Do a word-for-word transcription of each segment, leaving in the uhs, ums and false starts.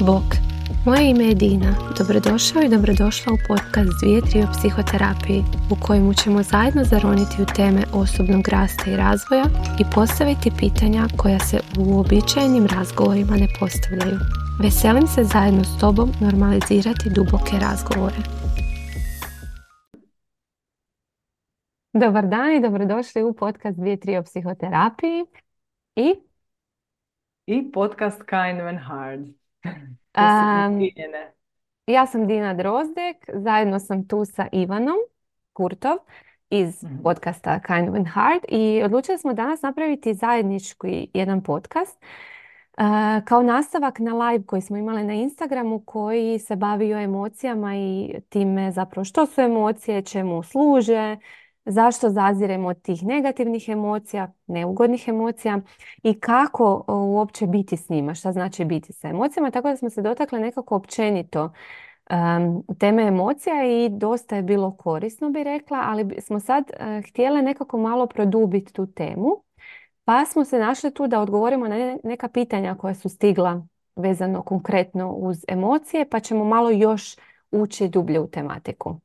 Bok, moje ime je Dina. Dobrodošao i dobrodošla u podcast Dvije tri o psihoterapiji, u kojemu ćemo zajedno zaroniti u teme osobnog rasta i razvoja i postaviti pitanja koja se u uobičajenim razgovorima ne postavljaju. Veselim se zajedno s tobom normalizirati duboke razgovore. Dobar dan i dobrodošli u podcast Dvije tri o psihoterapiji i I podcast Kind When Hard. Um, ja sam Dina Drozdek, zajedno sam tu sa Ivanom Kurtov iz Mhm. podcasta Kind When Hard i odlučili smo danas napraviti zajednički jedan podcast uh, kao nastavak na live koji smo imali na Instagramu koji se bavio emocijama i time zapravo što su emocije, čemu služe, zašto zaziremo od tih negativnih emocija, neugodnih emocija i kako uopće biti s njima, šta znači biti sa emocijama. Tako da smo se dotakli nekako općenito um, teme emocija i dosta je bilo korisno, bi rekla, ali smo sad uh, htjele nekako malo produbiti tu temu. Pa smo se našli tu da odgovorimo na neka pitanja koja su stigla vezano konkretno uz emocije, pa ćemo malo još ući dublje u tematiku.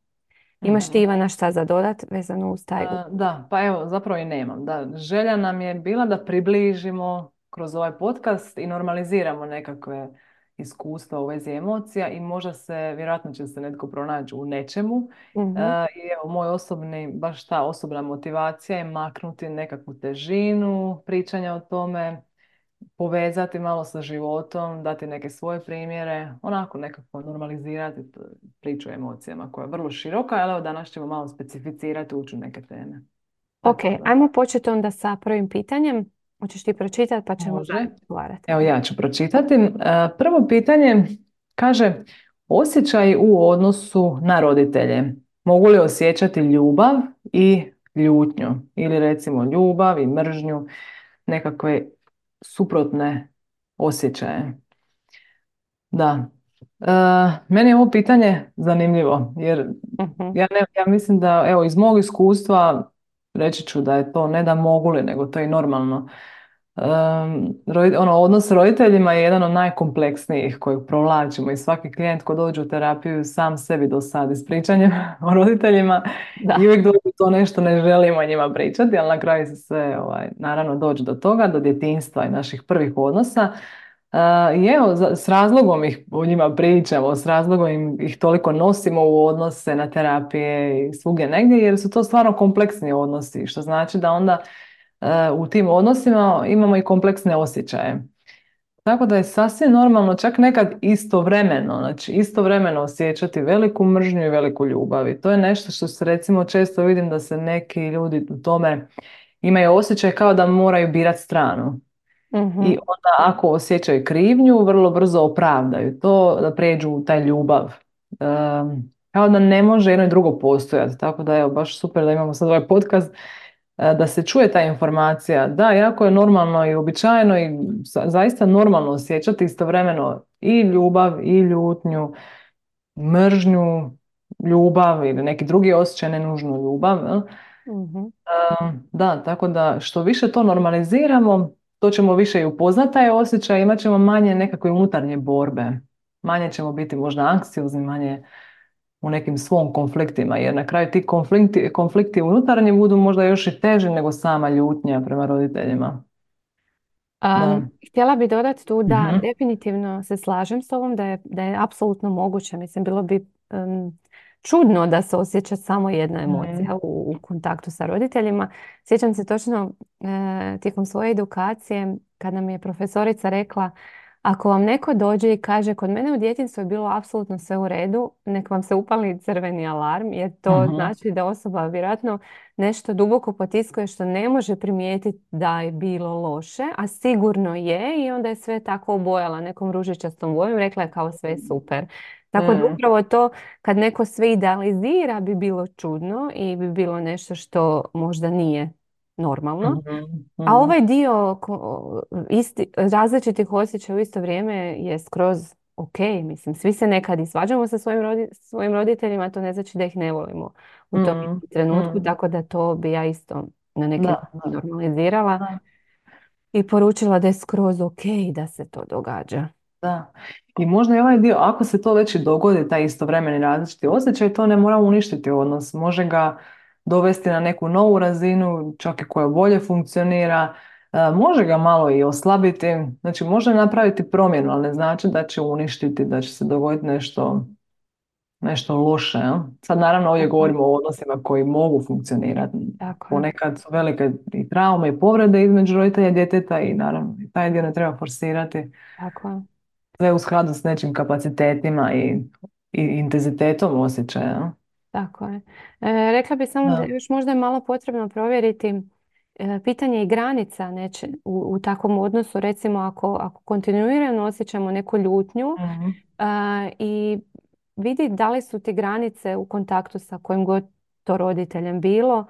Imaš ti, Mhm. Ivana, šta za dodat vezano uz taj? A, da, pa evo, zapravo i nemam. Da, želja nam je bila da približimo kroz ovaj podcast i normaliziramo nekakve iskustva u vezi emocija i možda se, vjerojatno će se netko pronaći u nečemu. E, Mhm. I evo, moj osobni, baš ta osobna motivacija je maknuti nekakvu težinu pričanja o tome, povezati malo sa životom, dati neke svoje primjere, onako nekako normalizirati t- priču o emocijama koja je vrlo široka, ali evo danas ćemo malo specificirati, ući u neke teme. Ok, Tako da, ajmo početi onda sa prvim pitanjem. Hoćeš ti pročitati pa ćemo može. dalje razgovarati. Evo ja ću pročitati. E, Prvo pitanje kaže, osjećaj u odnosu na roditelje. Mogu li osjećati ljubav i ljutnju? Ili recimo ljubav i mržnju, nekakve suprotne osjećaje. Da. E, Meni je ovo pitanje zanimljivo jer Mhm. ja, ne, ja mislim da evo iz mog iskustva reći ću da je to ne da mogu li nego to je i normalno. Um, rodi- ono, odnos s roditeljima je jedan od najkompleksnijih kojeg provlačimo i svaki klijent ko dođe u terapiju sam sebi do sad ispričanjem o roditeljima i Da. uvijek dođe to nešto ne želimo o njima pričati, ali na kraju se sve ovaj, naravno dođe do toga, do djetinjstva i naših prvih odnosa. Uh, I evo, za- s razlogom ih o njima pričamo, s razlogom im, ih toliko nosimo u odnose na terapije i svugdje negdje, jer su to stvarno kompleksni odnosi, što znači da onda uh, u tim odnosima imamo i kompleksne osjećaje. Tako da je sasvim normalno, čak nekad istovremeno, znači istovremeno osjećati veliku mržnju i veliku ljubav. I to je nešto što se recimo često vidim da se neki ljudi u tome imaju osjećaj kao da moraju birati stranu. I Mhm. onda ako osjećaju krivnju, vrlo brzo opravdaju to da prijeđu u taj ljubav. Ehm, Kao da ne može jedno i drugo postojati. Tako da evo, baš super da imamo sad ovaj podcast, e, da se čuje ta informacija. Da, jako je normalno i uobičajeno i za- zaista normalno osjećati istovremeno i ljubav i ljutnju, mržnju, ljubav ili neki drugi osjećaj, ne nužno ljubav. Jel? Mhm. Da, tako da što više to normaliziramo, to ćemo više i upoznati taj osjećaj, imat ćemo manje nekakve unutarnje borbe. Manje ćemo biti možda anksiozni, manje u nekim svom konfliktima, jer na kraju ti konflikti, konflikti unutarnji budu možda još i teži nego sama ljutnja prema roditeljima. Da. Um, htjela bih dodati tu da Mhm. definitivno se slažem s ovom da je, da je apsolutno moguće. Mislim, bilo bi um, čudno da se osjeća samo jedna emocija Mhm. u, u kontaktu sa roditeljima. Sjećam se točno e, tijekom svoje edukacije kad nam je profesorica rekla, ako vam neko dođe i kaže kod mene u djetinjstvu je bilo apsolutno sve u redu, nek vam se upali crveni alarm jer to Mhm. znači da osoba vjerojatno nešto duboko potiskuje što ne može primijetiti da je bilo loše, a sigurno je i onda je sve tako obojala nekom ružičastom bojom, rekla je kao sve je super. Tako da Mhm. upravo to kad neko sve idealizira bi bilo čudno i bi bilo nešto što možda nije normalno. Mhm. A Mhm. ovaj dio ko- isti, različitih osjećaja u isto vrijeme je skroz ok. Mislim, svi se nekad i svađamo sa svojim, rodi- svojim roditeljima, to ne znači da ih ne volimo u tom Mhm. trenutku, Mhm. tako da to bi ja isto na neki Da, način da. normalizirala Da. i poručila da je skroz ok da se to događa. Da. I možda i ovaj dio, ako se to već i dogodi, taj istovremeni različiti osjećaj, to ne mora uništiti odnos. Može ga dovesti na neku novu razinu, čak i koja bolje funkcionira. E, može ga malo i oslabiti. Znači, može napraviti promjenu, ali ne znači da će uništiti, da će se dogoditi nešto, nešto loše. Jel? Sad, naravno, ovdje Tako, govorimo o odnosima koji mogu funkcionirati. tako je, Ponekad su velike i traume i povrede između roditelja i djeteta i naravno, i taj dio ne treba forsirati. tako je, Sve u skladu s nečim kapacitetima i, i intenzitetom osjećaja. tako je. E, rekla bih samo da Da. još možda je malo potrebno provjeriti e, pitanje i granica neće, u, u takvom odnosu. Recimo ako, ako kontinuirano osjećamo neku ljutnju Mhm. e, i vidi da li su ti granice u kontaktu sa kojim god to roditeljem bilo.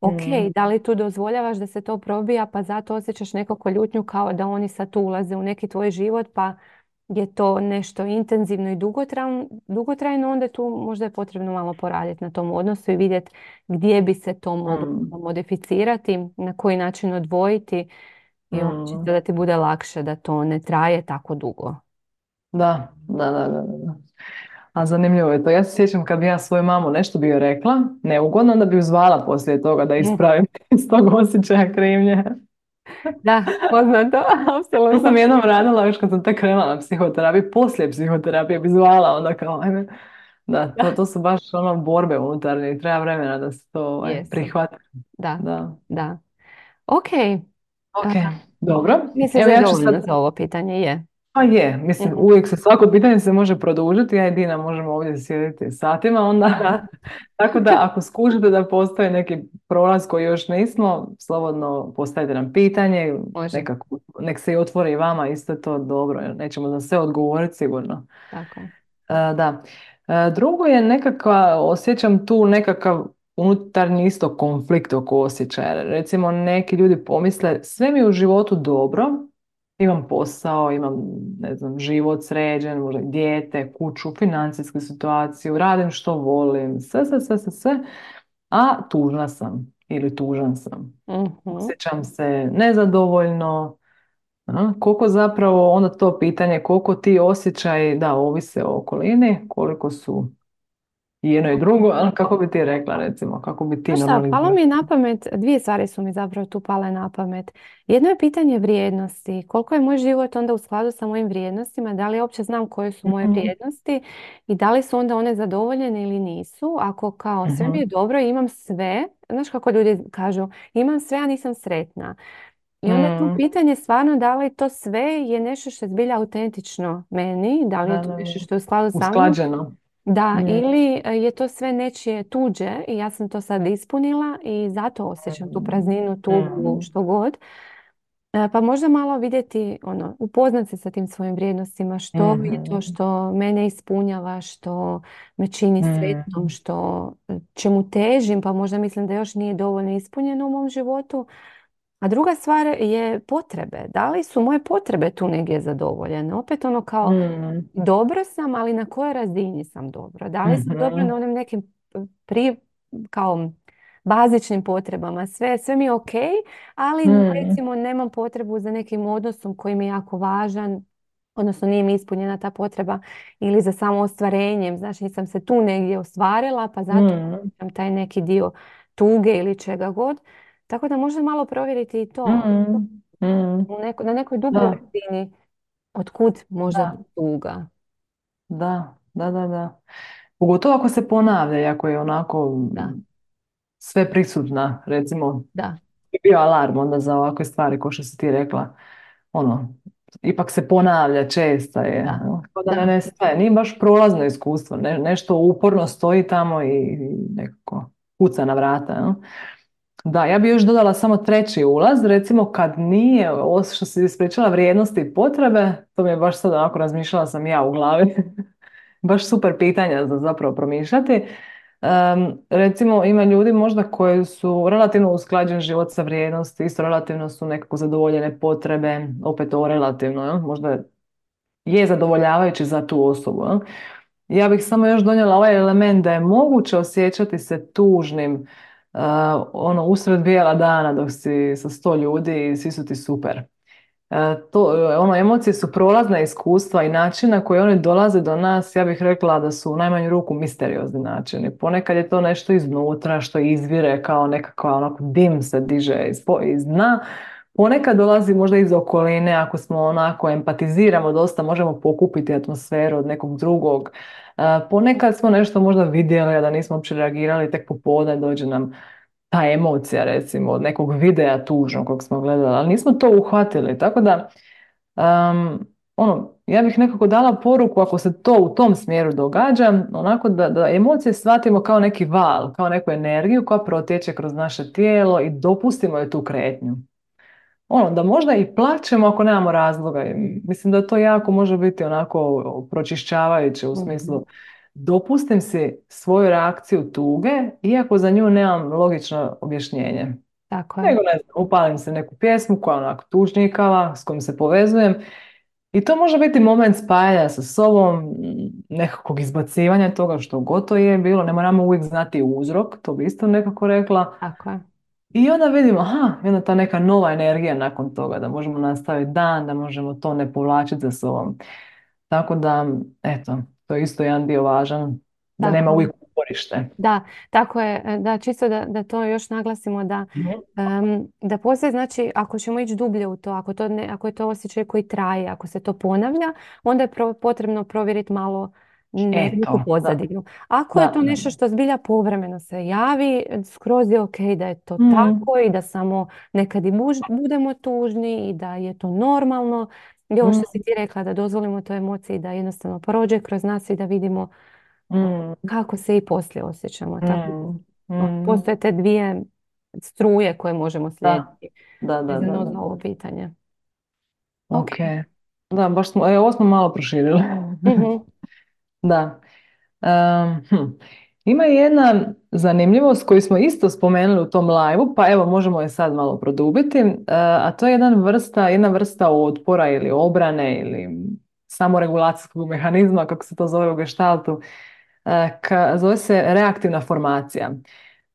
Ok, Mhm. da li tu dozvoljavaš da se to probija pa zato osjećaš nekako ljutnju kao da oni sad tu ulaze u neki tvoj život pa je to nešto intenzivno i dugotrajno, dugotrajno, onda tu možda je potrebno malo poraditi na tom odnosu i vidjeti gdje bi se to moglo Mhm. modificirati, na koji način odvojiti i onda čisto Mhm. da ti bude lakše da to ne traje tako dugo. Da, da, da, da, da. A zanimljivo je to. Ja se sjećam kad bi ja svoju mamu nešto bi joj rekla, neugodno, onda bi ju zvala poslije toga da Mm. ispravim iz tog osjećaja krivnje. Da, poznato, To sam apsolutno. jednom radila još kad sam tek krenula na psihoterapiju, poslije psihoterapije bi zvala onda kao, ajme. Da, to, Da, to su baš ono borbe unutarnje i treba vremena da se to ovaj, jesu. prihvati. Da, Da. da. Ok, Ok, a, dobro. misliš Evo da je ja ću sad. dovoljno za ovo pitanje? Je. Pa je, mislim, Mhm. uvijek se svako pitanje se može produžiti, ja i Dina možemo ovdje sjediti satima onda. Da, Tako da ako skužite da postoji neki prolaz koji još nismo, slobodno postavite nam pitanje, može. nekako, nek se i otvori i vama, isto je to dobro, jer nećemo za sve odgovoriti sigurno. Tako je. E, da. E, drugo je nekakva, osjećam tu nekakav unutarnji isto konflikt oko osjećaja. Recimo neki ljudi pomisle sve mi je u životu dobro, imam posao, imam ne znam, život sređen, možda i dijete, kuću, financijsku situaciju, radim što volim, sve, sve, sve, sve, sve, a tužna sam ili tužan sam. Mhm. Osjećam se nezadovoljno, a, koliko zapravo onda to pitanje, koliko ti osjećaji, da, ovise o okolini, koliko su i jedno i drugo, ali kako bi ti rekla recimo, kako bi ti Znaš šta, palo normalizirala? mi je na pamet, dvije stvari su mi zapravo tu pale na pamet. Jedno je pitanje vrijednosti. Koliko je moj život onda u skladu sa mojim vrijednostima? Da li ja uopće znam koje su moje Mhm, vrijednosti i da li su onda one zadovoljene ili nisu? Ako kao sve mi je mhm, dobro i imam sve, znaš kako ljudi kažu, imam sve, a nisam sretna. I onda je tu mhm, pitanje stvarno da li to sve je nešto što je zbilja autentično meni, da li je da, to da, nešto da. što je u skladu sa mnom. Usklađeno. Da, Mhm, ili e, je to sve nečije tuđe i ja sam to sad ispunila i zato osjećam tu prazninu, tugu, mhm, što god. E, Pa možda malo vidjeti, ono, upoznat se sa tim svojim vrijednostima, što je to mhm, što mene ispunjava, što me čini sretnom, mhm, što e, čemu težim, pa možda mislim da još nije dovoljno ispunjeno u mom životu. A druga stvar je potrebe. Da li su moje potrebe tu negdje zadovoljene? Opet ono kao mhm, dobro sam, ali na kojoj razini sam dobro? Da li sam dobro na mhm, onim nekim pri, kao bazičnim potrebama? Sve, sve mi je ok, ali mhm, recimo nemam potrebu za nekim odnosom koji mi je jako važan, odnosno nije mi ispunjena ta potreba ili za samo ostvarenjem. Znači nisam se tu negdje ostvarila, pa zato mhm, imam taj neki dio tuge ili čega god. Tako da možda malo provjeriti i to mhm, mhm. u neko, na nekoj dubljoj Da, razini otkud možda ta da, tuga. da, da, da, da. Pogotovo ako se ponavlja i ako je onako Da, mm, sve prisutna, recimo, da, je bio alarm onda za ovakve stvari, kao što si ti rekla. Ono, ipak se ponavlja, česta je. da, No, kao da ne da, nestaje. Nije baš prolazno iskustvo. Ne, nešto uporno stoji tamo i, i nekako kuca na vrata. No. Da, ja bi još dodala samo treći ulaz, recimo kad nije, ovo što si ispričala, vrijednosti i potrebe, to mi je baš sad onako razmišljala sam ja u glavi. Baš super pitanja za zapravo promišljati. Em, recimo ima ljudi možda koji su relativno usklađen život sa vrijednosti, isto relativno su nekako zadovoljene potrebe, opet ovo relativno, jel? Možda je zadovoljavajući za tu osobu. Jel? Ja bih samo još donijela ovaj element da je moguće osjećati se tužnim uh, ono usred bijela dana dok si sa sto ljudi i svi su ti super. E, to, e, ono, emocije su prolazna iskustva i način na koji one dolaze do nas, ja bih rekla da su u najmanju ruku misteriozni načini. Ponekad je to nešto iznutra što izvire kao nekakva onako dim se diže iz, po- iz dna. Ponekad dolazi možda iz okoline, ako smo onako empatiziramo dosta, možemo pokupiti atmosferu od nekog drugog. E, ponekad smo nešto možda vidjeli, a da nismo uopće reagirali, tek popodne dođe nam ta emocija recimo od nekog videa tužnog kog smo gledali, ali nismo to uhvatili. Tako da, um, ono, ja bih nekako dala poruku ako se to u tom smjeru događa, onako da, da emocije shvatimo kao neki val, kao neku energiju koja protječe kroz naše tijelo i dopustimo je tu kretnju. Ono, da možda i plačemo ako nemamo razloga. I mislim da to jako može biti onako pročišćavajuće u Mhm. smislu dopustim si svoju reakciju tuge, iako za nju nemam logično objašnjenje. Tako je. Nego ne znam, upalim se neku pjesmu koja je onako tužnjikava, s kojom se povezujem i to može biti moment spajanja sa sobom, m, nekakvog izbacivanja toga što god to je bilo, ne moramo uvijek znati uzrok, to bi isto nekako rekla. Tako je. I onda vidimo, aha, jedna ta neka nova energija nakon toga, da možemo nastaviti dan, da možemo to ne povlačiti za sobom. Tako da, eto, to je isto jedan dio važan, da nema Tako je. uvijek uporište. Da, tako je. e, Da, čisto da, da to još naglasimo da, Mhm. em, da postoji, znači, ako ćemo ići dublje u to, ako, to ne, ako je to osjećaj koji traje, ako se to ponavlja, onda je pro- potrebno provjeriti malo ne, neku Eto, da, pozadinu. Ako je da, to da. nešto što zbilja povremeno se javi, skroz je ok da je to Mhm. tako i da samo nekad i buž- budemo tužni i da je to normalno. I ovo što si Mhm. ti rekla, da dozvolimo toj emociji da jednostavno prođe kroz nas i da vidimo Mhm. kako se i poslije osjećamo. Tako Mhm. da Mhm. postoje te dvije struje koje možemo Da, slijediti da, da, da, vezano da. za ovo pitanje. Ok. Ok. Da, baš smo, e, ovo smo malo proširili. Mhm. Da. Em, hm. Ima jedna zanimljivost koju smo isto spomenuli u tom live pa evo možemo je sad malo produbiti, e, a to je jedan vrsta, jedna vrsta otpora ili obrane ili samoregulacijskog mehanizma, kako se to zove u gestaltu, e, ka- zove se reaktivna formacija.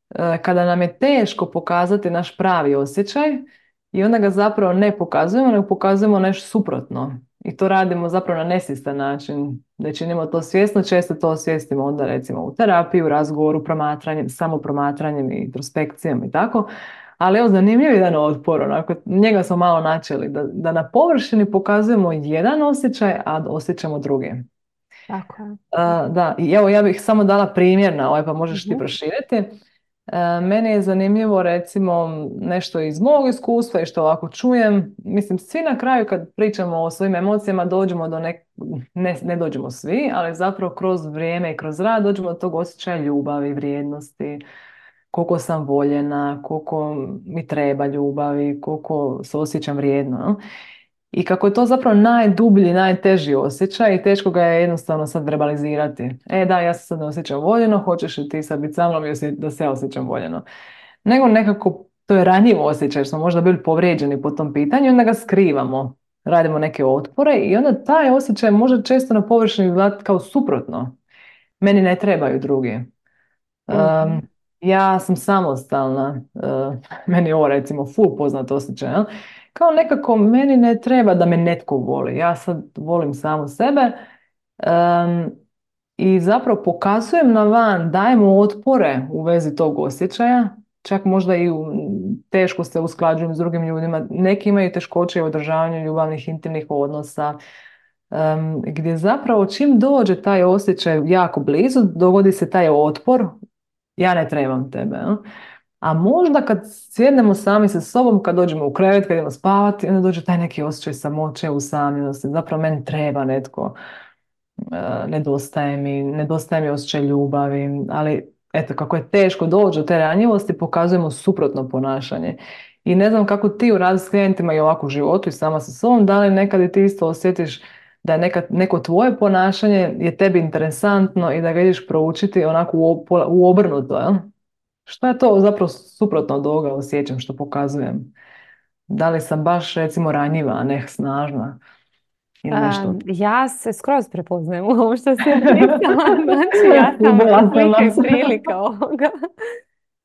E, Kada nam je teško pokazati naš pravi osjećaj i onda ga zapravo ne pokazujemo, nego pokazujemo nešto suprotno. I to radimo zapravo na nesvjestan način. Da činimo to svjesno, često to osvijestimo onda recimo u terapiji, u razgovoru, promatranjem, samo promatranjem i introspekcijom i tako. Ali evo zanimljiv jedan otpor, onako, njega smo malo načeli, da, da na površini pokazujemo jedan osjećaj, a da osjećamo drugi. Tako je. A, da, i evo ja bih samo dala primjer na ovaj, pa možeš ti Mhm. proširiti. E, meni je zanimljivo recimo nešto iz mog iskustva i što ovako čujem. Mislim, svi na kraju kad pričamo o svojim emocijama dođemo do nek... ne, ne dođemo svi, ali zapravo kroz vrijeme i kroz rad dođemo do tog osjećaja ljubavi, vrijednosti, koliko sam voljena, koliko mi treba ljubavi, koliko se osjećam vrijedno. No? I kako je to zapravo najdublji, najteži osjećaj i teško ga je jednostavno sad verbalizirati. E da, ja se sad ne osjećam voljeno, hoćeš li ti sad biti sa mnom i osje- da se ja osjećam voljeno. Nego nekako to je ranjiv osjećaj, jer smo možda bili povrijeđeni po tom pitanju i onda ga skrivamo. Radimo neke otpore i onda taj osjećaj može često na površini izgledati kao suprotno. Meni ne trebaju drugi. Mhm. Um, ja sam samostalna, uh, meni je ovo recimo ful poznat osjećaj, jel? Kao nekako meni ne treba da me netko voli, ja sad volim samo sebe um, i zapravo pokazujem na van, dajemo otpore u vezi tog osjećaja, čak možda i u, teško se usklađujem s drugim ljudima, neki imaju teškoće u održavanju ljubavnih intimnih odnosa, um, gdje zapravo čim dođe taj osjećaj jako blizu, dogodi se taj otpor, ja ne trebam tebe. jel? A možda kad sjednemo sami sa sobom, kad dođemo u krevet, kad idemo spavati, onda dođe taj neki osjećaj samoće, usamljenosti. Zapravo meni treba netko, e, nedostaje mi, nedostaje mi osjećaj ljubavi, ali eto, kako je teško doći do te ranjivosti, pokazujemo suprotno ponašanje. I ne znam kako ti u radu s klijentima i ovako u životu i sama sa sobom, da li nekad i ti isto osjetiš da je neka, neko tvoje ponašanje je tebi interesantno i da ga ideš proučiti onako u, op- u obrnuto, jel? Šta je to zapravo suprotno od ovoga osjećam što pokazujem? Da li sam baš recimo ranjiva, a ne snažna ili nešto? Um, ja se skroz prepoznajem u ovo što si opisala. Znači, ja sam Vidjela sam slika nas. i prilika ovoga.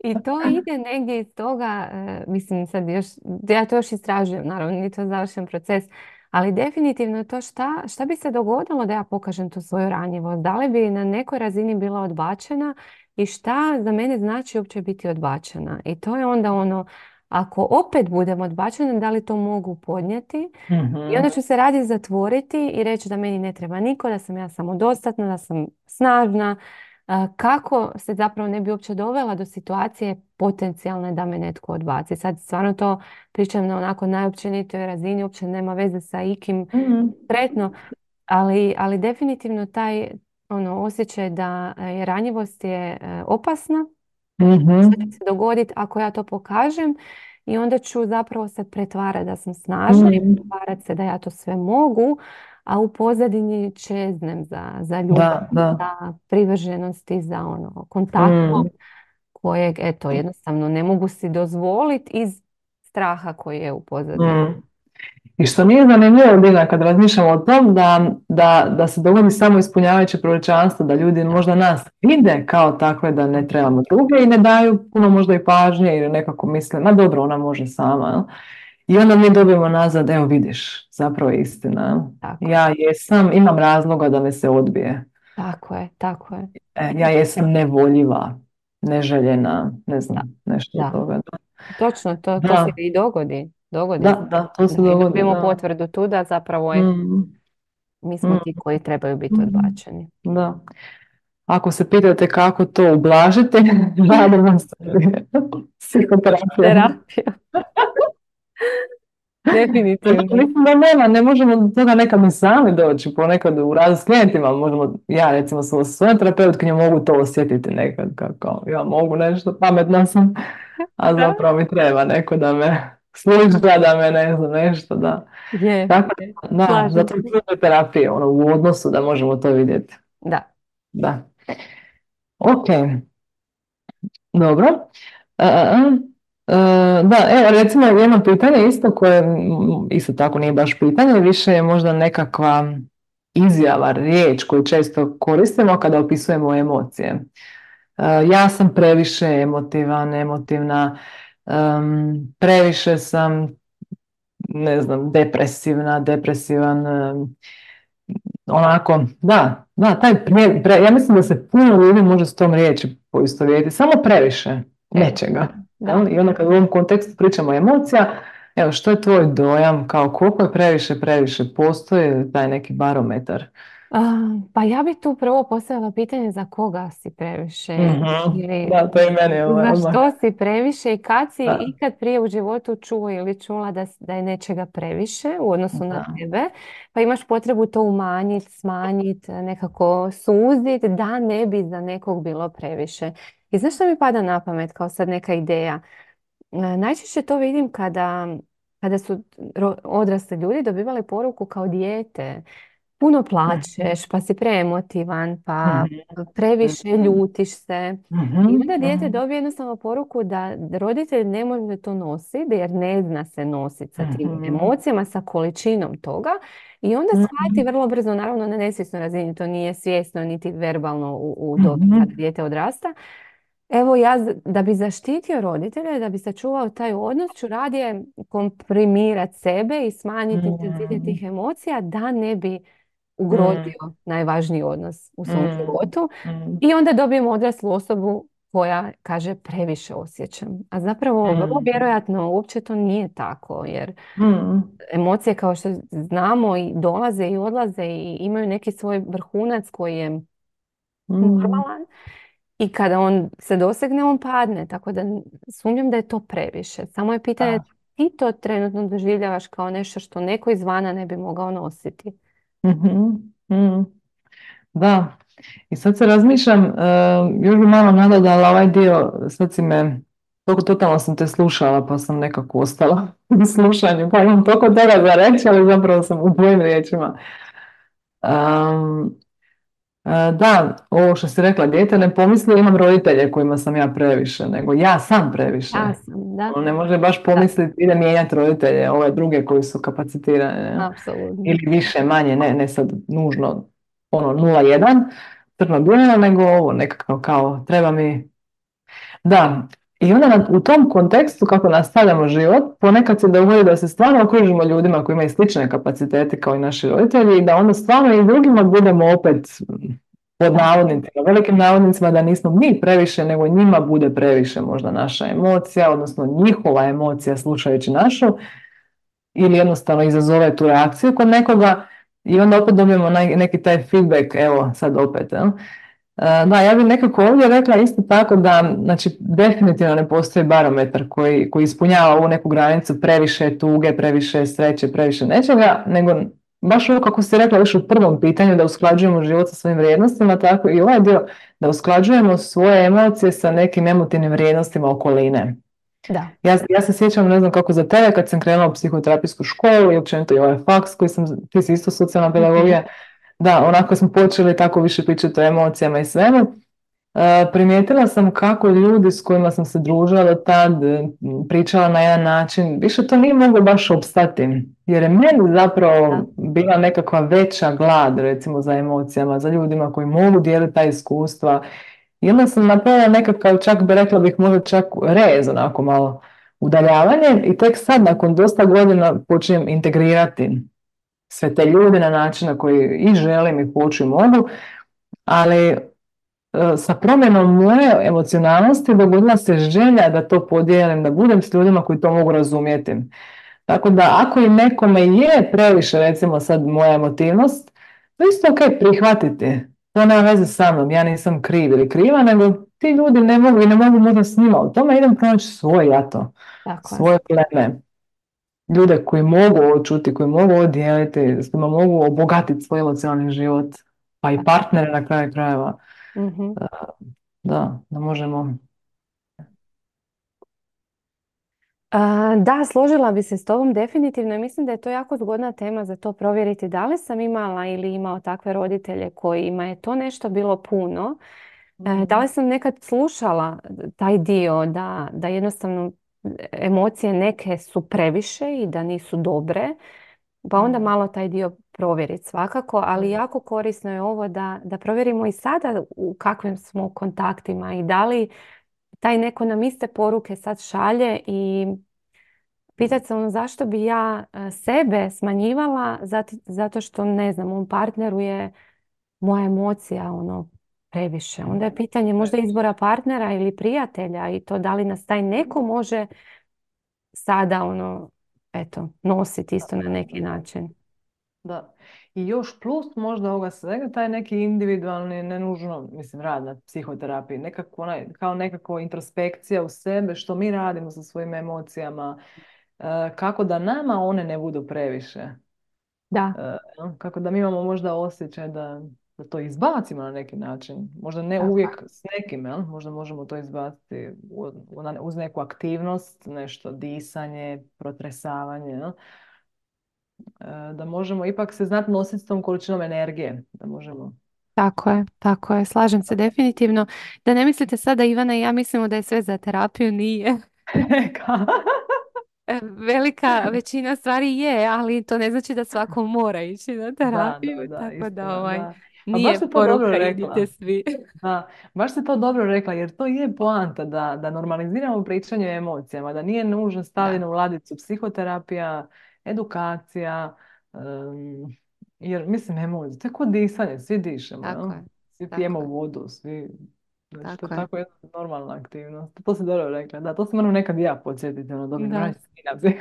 I to ide negdje iz toga, e, mislim sad još, ja to još istražujem, naravno nije to završen proces, ali definitivno je to šta, šta bi se dogodilo da ja pokažem tu svoju ranjivost, da li bi na nekoj razini bila odbačena i šta za mene znači uopće biti odbačena. I to je onda ono, ako opet budem odbačena, da li to mogu podnijeti? I Mhm. onda ću se radije zatvoriti i reći da meni ne treba niko, da sam ja samodostatna, da sam snažna. A, kako se zapravo ne bi uopće dovela do situacije potencijalne da me netko odbaci. Sad stvarno to pričam na onako najopćenitoj razini, uopće nema veze sa ikim Mhm. konkretno, ali, ali definitivno taj ono, osjećaj da je ranjivost je e, opasna, što će Mhm. se dogoditi ako ja to pokažem i onda ću zapravo se pretvarati da sam snažna i Mhm. pretvarati se da ja to sve mogu, a u pozadini čeznem za, za ljubav, Da, da. za privrženosti, za ono kontaktom Mm. kojeg eto jednostavno ne mogu si dozvoliti iz straha koji je u pozadini. Mm. I što nije zanimljivo, Dina, kad razmišljamo o tom da, da, da se dogodi samo ispunjavajuće proročanstvo, da ljudi Da, možda nas vide kao takve da ne trebamo druge i ne daju puno možda i pažnje ili nekako misle, ma dobro, ona može sama. Jel? I onda mi dobijemo nazad, evo vidiš, zapravo je istina. tako je, Ja jesam, imam razloga da me se odbije. tako je, tako je. E, ja jesam nevoljiva, neželjena, ne Da, znam, nešto od da. toga. Točno, to, to se Da, i dogodi. Dogodi se. da, da, to se Da, i dogodi, dobijemo da. potvrdu tu da zapravo je, Mm, mi smo mm, ti koji trebaju biti mm. odbačeni. Da. Ako se pitate kako to ublažiti, radimo se psihoterapijom. Terapija. Definitivno. Mislim da nema, ne možemo do toga nekad ni sami doći, ponekad u radu s klijentima možemo, ja recimo sam sa svojom terapeutkinjom mogu to osjetiti nekad, kako ja mogu nešto, pametna sam, a Da. zapravo mi treba neko da me sluša, da me ne znam, nešto, da. Je, Tako je. da, da, Slažem zato se. je terapija, ono, u odnosu da možemo to vidjeti. Da. Da. Ok. Dobro. E, e, e, da, evo recimo jedno pitanje isto koje mm, isto tako nije baš pitanje, više je možda nekakva izjava, riječ koju često koristimo kada opisujemo emocije. E, ja sam previše emotivan, emotivna, em, previše sam, ne znam, depresivna, depresivan, em, onako, da, da, taj pre, pre- ja mislim da se puno ljudi može s tom riječi poistovjetiti, samo previše Previše. nečega. Da. Jel? I onda kad u ovom kontekstu pričamo o emocija, evo, što je tvoj dojam, kao koliko je previše, previše, postoji taj neki barometar? A, pa ja bih tu prvo postavila pitanje za koga si previše Mhm. ili Da, to je i meni ovaj, za odmah. što si previše i kad si Da, ikad prije u životu čuo ili čula da, s- da je nečega previše u odnosu na da. tebe, pa imaš potrebu to umanjiti, smanjiti, nekako suziti da ne bi za nekog bilo previše. I znaš što mi pada na pamet kao sad neka ideja? E, Najčešće to vidim kada, kada su ro- odrasli ljudi dobivali poruku kao dijete. Puno Mhm. plačeš, pa si preemotivan, pa Mhm. previše ljutiš se. I Mhm. onda dijete Mhm. dobije jednostavno poruku da roditelj ne može to nositi jer ne zna se nositi sa tim Mhm. emocijama, sa količinom toga. I onda shvati Mhm. vrlo brzo, naravno na nesvjesnoj razini, to nije svjesno niti verbalno u, u dobi Mhm. kada dijete odrasta. Evo ja z- da bi zaštitio roditelja, da bi sačuvao taj odnos, ću radije komprimirati sebe i smanjiti intenzitet Mhm. tih emocija da ne bi Mhm. ugrozio najvažniji odnos u svom Mm, životu. mm, I onda dobijemo odraslu osobu koja kaže previše osjećam. A zapravo vrlo mm, vjerojatno uopće to nije tako jer mm, emocije kao što znamo i dolaze i odlaze i imaju neki svoj vrhunac koji je mm. normalan i kada on se dosegne on padne. Tako da sumnjam da je to previše. Samo je pitanje Da. ti to trenutno doživljavaš kao nešto što neko izvana ne bi mogao nositi. Mhm, mm. Da, i sad se razmišljam, e, još bi malo nadodala ovaj dio, sad si me, toliko totalno sam te slušala pa sam nekako ostala u slušanju, pa imam toliko toga za reći, ali zapravo sam u tvojim riječima. Am, e, da, ovo što si rekla, dijete ne pomisli imam roditelje kojima sam ja previše, nego ja sam previše. Ja sam, da, On ne može baš da, pomisliti ide mijenjati roditelje, ove druge koji su kapacitirane, ne? apsolutno. Ili više, manje, ne, ne sad nužno ono nula jedan crno-bijelo, nego ovo nekako kao treba mi, da, I onda na- u tom kontekstu kako nastavljamo život, ponekad se dogodi da se stvarno okružimo ljudima koji imaju slične kapacitete kao i naši roditelji i da onda stvarno i drugima budemo opet pod Da, navodnicima, velikim navodnicima da nismo mi previše, nego njima bude previše možda naša emocija, odnosno njihova emocija slušajući našu ili jednostavno izazove tu reakciju kod nekoga i onda opet dobijemo naj- neki taj feedback, evo sad opet. Jel? E, Da, ja bih nekako ovdje rekla isto tako da, znači, definitivno ne postoji barometar koji, koji ispunjava ovu neku granicu previše tuge, previše sreće, previše nečega, nego baš ovo kako ste rekla još u prvom pitanju da usklađujemo život sa svojim vrijednostima, tako i ovaj dio da usklađujemo svoje emocije sa nekim emotivnim vrijednostima okoline. da. Ja, ja se sjećam, ne znam kako za tebe, kad sam krenula u psihoterapijsku školu i općenito i ovaj faks koji sam, ti si isto socijalna Mhm. pedagogija, da, onako smo počeli tako više pričati o emocijama i svemu. E, primijetila sam kako ljudi s kojima sam se družila do tad, e, pričala na jedan način, više to nije moglo baš opstati. Jer je meni zapravo Da, bila nekakva veća glad, recimo, za emocijama, za ljudima koji mogu dijeliti ta iskustva. I onda sam napravila nekakav, čak bi rekla bih možda čak rez, onako malo udaljavanje i tek sad nakon dosta godina počinjem integrirati sve te ljude na način na koji i želim i hoću i mogu, ali e, sa promjenom moje emocionalnosti dogodila se želja da to podijelim, da budem s ljudima koji to mogu razumjeti. Tako da ako i nekome je previše, recimo sad moja emotivnost, to je isto ok prihvatiti. To nema veze sa mnom, ja nisam kriv ili kriva, nego ti ljudi ne mogu i ne mogu možda s njima. U tome idem pronaći svoj jato, tako je. svoje pleme. Ljude koji mogu ovo čuti, koji mogu ovo dijeliti, s kojima mogu obogatiti svoj emocionalni život, pa i partnere na kraju krajeva. Mhm. Da, da možemo. A, da, složila bi se s tobom definitivno i mislim da je to jako zgodna tema za to provjeriti da li sam imala ili imao takve roditelje kojima je to nešto bilo puno. E, da Mhm. li sam nekad slušala taj dio da, da jednostavno emocije neke su previše i da nisu dobre, pa onda Mhm. malo taj dio provjeriti svakako, ali Mhm. jako korisno je ovo da, da provjerimo i sada u kakvim smo kontaktima i da li taj neko nam iste poruke sad šalje i pitati se ono zašto bi ja e, sebe smanjivala zati- zato što ne znam, u partneru je moja emocija ono previše. Onda je pitanje možda izbora partnera ili prijatelja i to da li nas taj neko može sada ono eto nositi isto na neki način. Da. I još plus možda ovoga svega, taj neki individualni, ne nužno, mislim, rad na psihoterapiji, nekako onaj, kao nekako introspekcija u sebe, što mi radimo sa svojim emocijama, e, kako da nama one ne budu previše. Da, E, kako da mi imamo možda osjećaj da, da to izbacimo na neki način. Možda ne tako uvijek s nekim, jel? Možda možemo to izbaciti u- u- na- uz neku aktivnost, nešto disanje, protresavanje, jel? E, da možemo ipak se znati nositi s tom količinom energije, da možemo. tako je, tako je. Slažem se definitivno. Da ne mislite sada Ivana i ja mislimo da je sve za terapiju, nije. Ka- E, Velika većina stvari je, ali to ne znači da svako mora ići na Da, da, terapiju, da, tako da istina, ovaj, da. Pa baš nije si to dobro poruka idite rekla. svi. Da, baš si to dobro rekla, jer to je poanta da, da normaliziramo pričanje o emocijama, da nije nužno Da, stavljeno u ladicu psihoterapija, edukacija, em, jer mislim emocije, to je kod disanje, svi dišemo, jel? tako je, Svi pijemo tako je, vodu, svi, znači to je tako je. tako jedna normalna aktivnost. To si dobro rekla, da, to se moram nekad i ja podsjetiti, ono, dobro, Da. moram se skinati.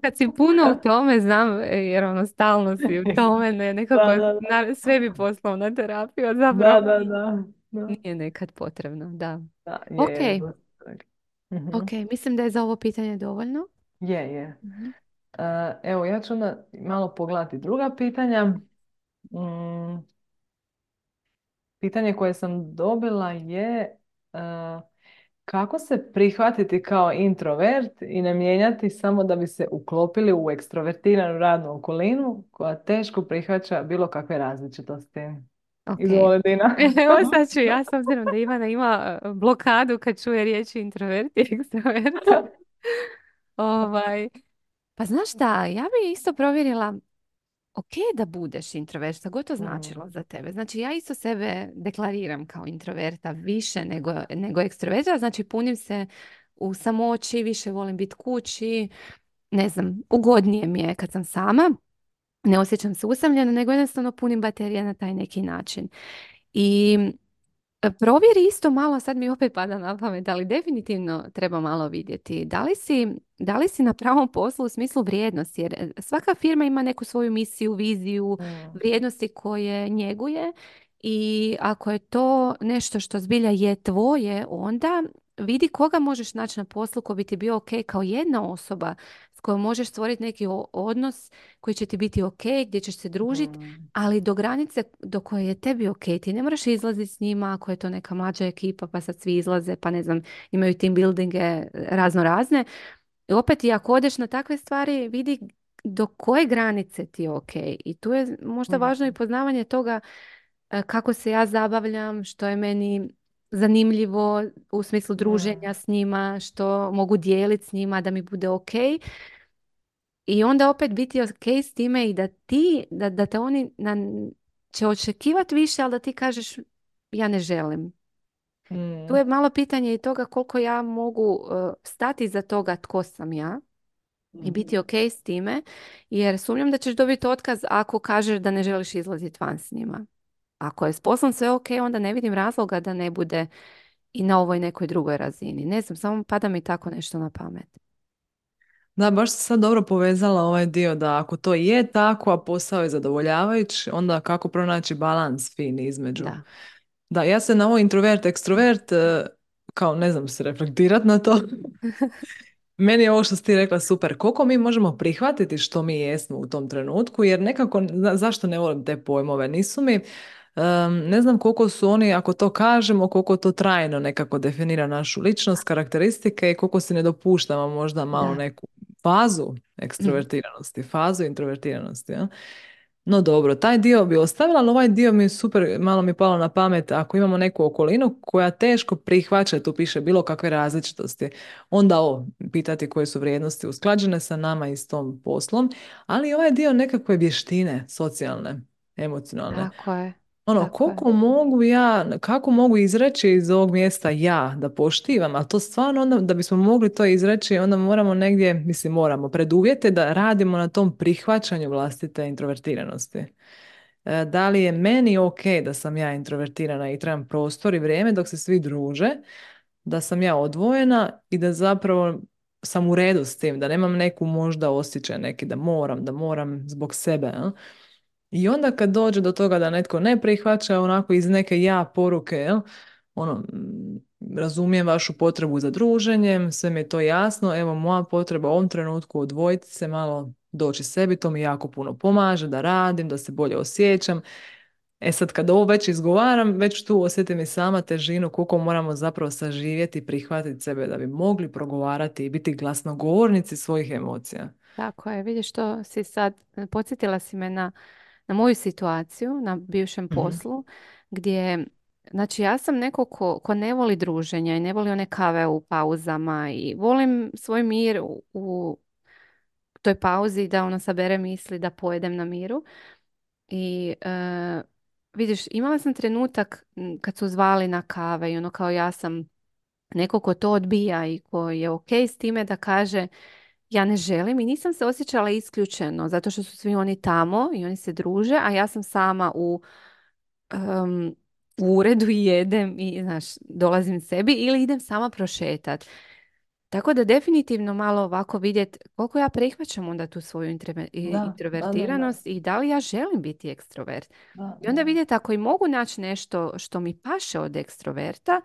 Kad si puno u tome, znam, e, jer ono stalno si u tome, ne, nekako Da, da, na, sve bi poslao na terapiju, a da, zapravo da, da, da, nije nekad potrebno, da. da, je, Ok, je, to si rekla. Mhm. ok, mislim da je za ovo pitanje dovoljno. Je, je. Mhm. E, Evo, ja ću onda malo pogledati druga pitanja. Mm, pitanje koje sam dobila je e, kako se prihvatiti kao introvert i ne mijenjati samo da bi se uklopili u ekstrovertiranu radnu okolinu koja teško prihvaća bilo kakve različitosti. Ok. Izvoli, Dina. Evo sad ću ja, s obzirom da Ivana ima e, blokadu kad čuje riječi introvert i ekstrovert. Ovaj, pa znaš šta, ja bi isto provjerila ok da budeš introvert, šta god to Mm, značilo za tebe. Znači ja isto sebe deklariram kao introverta više nego, nego ekstroverta, znači punim se u samoći, više volim biti kući, ne znam, ugodnije mi je kad sam sama, ne osjećam se usamljeno, nego jednostavno punim baterije na taj neki način. I E, provjeri isto malo, sad mi opet pada na pamet, ali definitivno treba malo vidjeti. Da li si, da li si na pravom poslu u smislu vrijednosti? Jer e, svaka firma ima neku svoju misiju, viziju, mm, vrijednosti koje njeguje i ako je to nešto što zbilja je tvoje, onda vidi koga možeš naći na poslu ko bi ti bio ok kao jedna osoba s kojom možeš stvoriti neki o- odnos koji će ti biti ok, gdje ćeš se družiti, mm, ali do granice do koje je tebi ok, ti ne moraš izlaziti s njima ako je to neka mlađa ekipa pa sad svi izlaze pa ne znam, imaju team buildinge razno razne. I opet i ako odeš na takve stvari vidi do koje granice ti je ok. I tu je možda važno i mm, poznavanje toga e, kako se ja zabavljam, što je meni zanimljivo u smislu druženja mm, s njima, što mogu dijeliti s njima da mi bude ok. I onda opet biti ok s time i da ti, da, da te oni na, će očekivati više, ali da ti kažeš ja ne želim. Tu mm, je malo pitanje i toga koliko ja mogu uh, stati za toga tko sam ja i mm, biti ok s time, jer sumnjam da ćeš dobiti otkaz ako kažeš da ne želiš izlaziti van s njima. Ako je s poslom sve ok, onda ne vidim razloga da ne bude i na ovoj nekoj drugoj razini. Ne znam, samo pada mi tako nešto na pamet. Da, baš se sad dobro povezala ovaj dio da ako to je tako, a posao je zadovoljavajući, onda kako pronaći balans fini između. Da. Da, ja se na ovo introvert, ekstrovert, eh, kao ne znam se reflektirat na to. Meni je ovo što si ti rekla super. Koliko mi možemo prihvatiti što mi jesmo u tom trenutku, jer nekako, za- zašto ne volim te pojmove, nisu mi, em, ne znam koliko su oni, ako to kažemo, koliko to trajno nekako definira našu ličnost, karakteristike i koliko si ne dopuštamo možda malo Da. neku fazu ekstrovertiranosti, fazu introvertiranosti. Ja? No dobro, taj dio bi ostavila, ali ovaj dio mi je super, malo mi je palo na pamet, ako imamo neku okolinu koja teško prihvaća, tu piše bilo kakve različitosti, onda o, pitati koje su vrijednosti usklađene sa nama i s tom poslom, ali i ovaj dio nekakve vještine, socijalne, emocionalne. Tako je. Ono, Tako je. koliko mogu ja, kako mogu izreći iz ovog mjesta ja, da poštivam, a to stvarno onda, da bismo mogli to izreći, onda moramo negdje, mislim moramo, preduvjete da radimo na tom prihvaćanju vlastite introvertiranosti. E, Da li je meni ok da sam ja introvertirana i trebam prostor i vrijeme dok se svi druže, da sam ja odvojena i da zapravo sam u redu s tim, da nemam neku možda osjećaj neki da moram, da moram zbog sebe. A? I onda kad dođe do toga da netko ne prihvaća onako iz neke ja poruke, jel? Ono, mm, razumijem vašu potrebu za druženjem, sve mi je to jasno, evo moja potreba u ovom trenutku odvojiti se malo, doći sebi, to mi jako puno pomaže da radim, da se bolje osjećam. E sad kad ovo već izgovaram, već tu osjetim i sama težinu koliko moramo zapravo saživjeti i prihvatiti sebe da bi mogli progovarati i biti glasnogovornici svojih emocija. Tako je, vidiš što si sad, podsjetila si me na, na moju situaciju na bivšem Mhm. poslu gdje, znači ja sam neko ko, ko ne voli druženja i ne voli one kave u pauzama i volim svoj mir u, u toj pauzi da ono sabere misli da pojedem na miru i e, vidiš, imala sam trenutak m, kad su zvali na kave i ono kao ja sam neko ko to odbija i ko je ok s time da kaže ja ne želim i nisam se osjećala isključeno zato što su svi oni tamo i oni se druže, a ja sam sama u, em, u uredu i jedem i znaš, dolazim sebi ili idem sama prošetat. Tako da definitivno malo ovako vidjet koliko ja prihvaćam onda tu svoju introve- i- Da, da, da, da, introvertiranost i da li ja želim biti ekstrovert. da, I onda da. vidjeti ako i mogu naći nešto što mi paše od ekstroverta,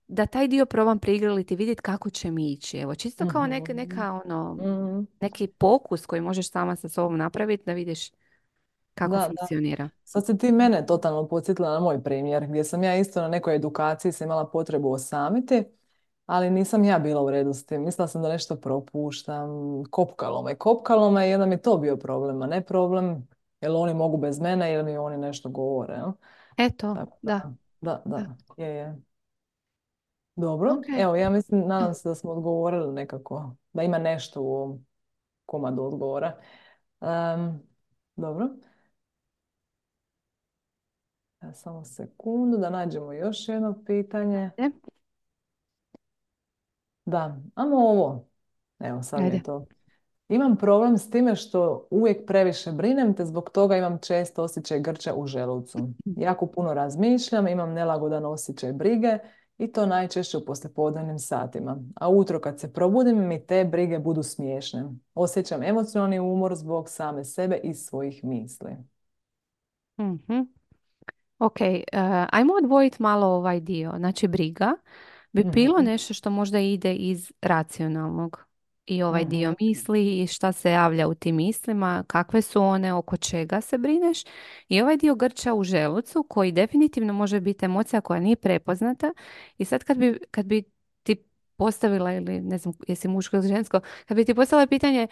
da taj dio probam prigriliti i vidjeti kako će mi ići. Evo, čisto kao neka, Mhm. neka ono, Mhm. neki pokus koji možeš sama sa sobom napraviti da vidiš kako Da, da. funkcionira. Sad si ti mene totalno podsjetila na moj primjer, gdje sam ja isto na nekoj edukaciji se imala potrebu osamiti, ali nisam ja bila u redu s tim. Mislila sam da nešto propuštam, kopkalo me. Kopkalo me i onda mi je to bio problem, a ne problem jel oni mogu bez mene ili mi oni nešto govore. Jel? Eto, Tako da, da, da, da. da, je, je. Dobro, Ok. evo ja mislim, nadam se da smo odgovorili nekako, da ima nešto u ovom komadu odgovora. Dobro. Ja, samo sekundu da nađemo još jedno pitanje. E, Da, amo ovo. Evo, sad mi ajde. je to. Imam problem s time što uvijek previše brinem, te zbog toga imam često osjećaj grča u želucu. Jako puno razmišljam, imam nelagodan osjećaj brige i to najčešće u poslijepodnevnim satima. A ujutro kad se probudim mi te brige budu smiješne. Osjećam emocionalni umor zbog same sebe i svojih misli. Mhm. Ok, eh, ajmo odvojiti malo ovaj dio. Znači, briga bi bilo Mhm, nešto što možda ide iz racionalnog i ovaj dio mhm, misli i šta se javlja u tim mislima, kakve su one, oko čega se brineš i ovaj dio grča u želucu koji definitivno može biti emocija koja nije prepoznata i sad kad bi, kad bi ti postavila ili ne znam jesi muško ili žensko, kad bi ti postavila pitanje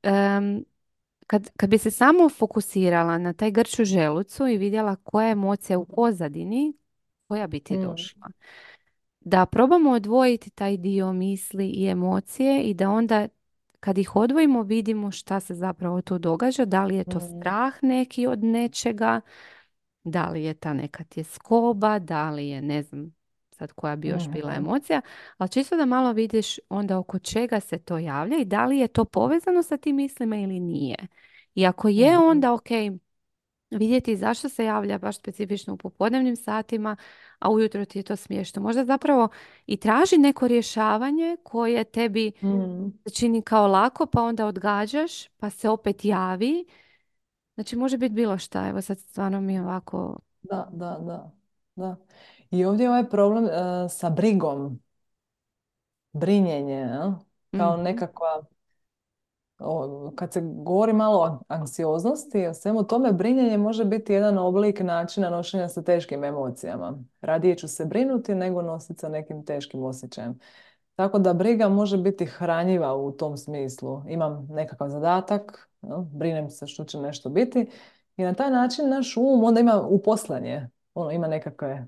em, kad, kad bi se samo fokusirala na taj grč u želucu i vidjela koja je emocija u pozadini, koja bi ti mhm, došla? Da probamo odvojiti taj dio misli i emocije i da onda kad ih odvojimo vidimo šta se zapravo tu događa, da li je to mhm, strah neki od nečega, da li je ta neka tjeskoba, da li je ne znam sad koja bi još bila mhm, emocija, ali čisto da malo vidiš onda oko čega se to javlja i da li je to povezano sa tim mislima ili nije. I ako je mhm, onda ok, vidjeti zašto se javlja baš specifično u popodnevnim satima, a ujutro ti je to smiješno. Možda zapravo i traži neko rješavanje koje tebi mhm. se čini kao lako, pa onda odgađaš, pa se opet javi. Znači može biti bilo šta. Evo sad stvarno mi je ovako... Da, da, da, da. I ovdje je ovaj problem e, sa brigom, brinjenje, jel? Kao Mhm. nekakva, o, kad se govori malo o anksioznosti, o svemu tome, brinjenje može biti jedan oblik načina nošenja sa teškim emocijama. Radije ću se brinuti nego nositi sa nekim teškim osjećajem. Tako da briga može biti hranjiva u tom smislu. Imam nekakav zadatak, jel? Brinem se što će nešto biti i na taj način naš um onda ima uposlanje. Ono, ima nekakve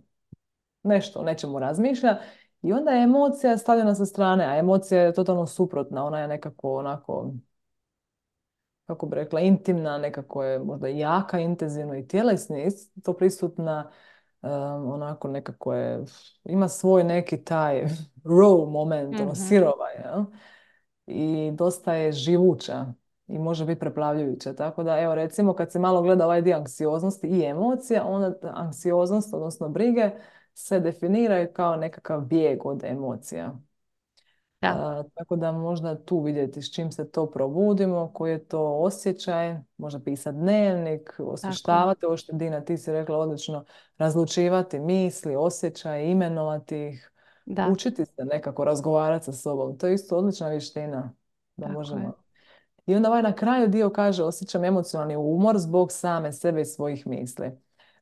nešto, o nečemu razmišlja i onda je emocija stavljena sa strane, a emocija je totalno suprotna, ona je nekako onako, kako bi rekla, intimna, nekako je možda jaka, intenzivno i tjelesno je isto prisutna, um, onako nekako je, ima svoj neki taj raw moment, ono Mhm. sirova, jel? I dosta je živuća i može biti preplavljujuća. Tako da, evo recimo kad se malo gleda ovaj dio anksioznosti i emocija, onda ta anksioznost, odnosno brige, se definiraju kao nekakav bijeg od emocija. Da, A, tako da možda tu vidjeti s čim se to probudimo, koji je to osjećaj, možda pisati dnevnik, tako je. osvještavati, ovo što Dina ti si rekla odlično, razlučivati misli, osjećaje, imenovati ih, Da, učiti se nekako razgovarati sa sobom. To je isto odlična vještina da tako je. možemo. I onda ovaj na kraju dio kaže osjećam emocionalni umor zbog same sebe i svojih misli.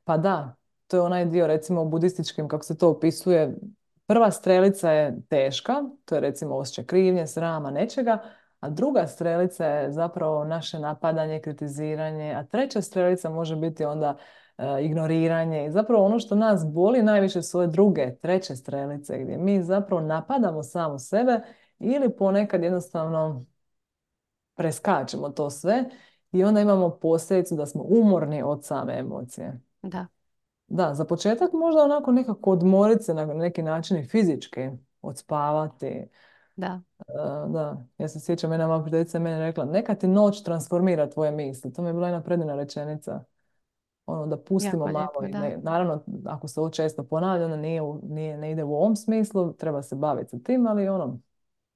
Pa da, to je onaj dio recimo u budističkim kako se to opisuje. Prva strelica je teška, to je recimo osjećaj krivnje, srama, nečega, a druga strelica je zapravo naše napadanje, kritiziranje, a treća strelica može biti onda e, ignoriranje. I zapravo ono što nas boli najviše su ove druge, treće strelice gdje mi zapravo napadamo samu sebe ili ponekad jednostavno preskačemo to sve i onda imamo posljedicu da smo umorni od same emocije. Da, Da, za početak možda onako nekako odmoriti se na neki način i fizički, odspavati. E, da. da, ja se sjećam, jedna moja prijateljica je meni rekla, neka ti noć transformira tvoje misli. To mi je bila jedna predivna rečenica. Ono, da pustimo Jako malo. lijepo, I da. ne, naravno, ako se ovo često ponavlja, onda nije, u- nije, ne ide u ovom smislu, treba se baviti sa tim, ali ono,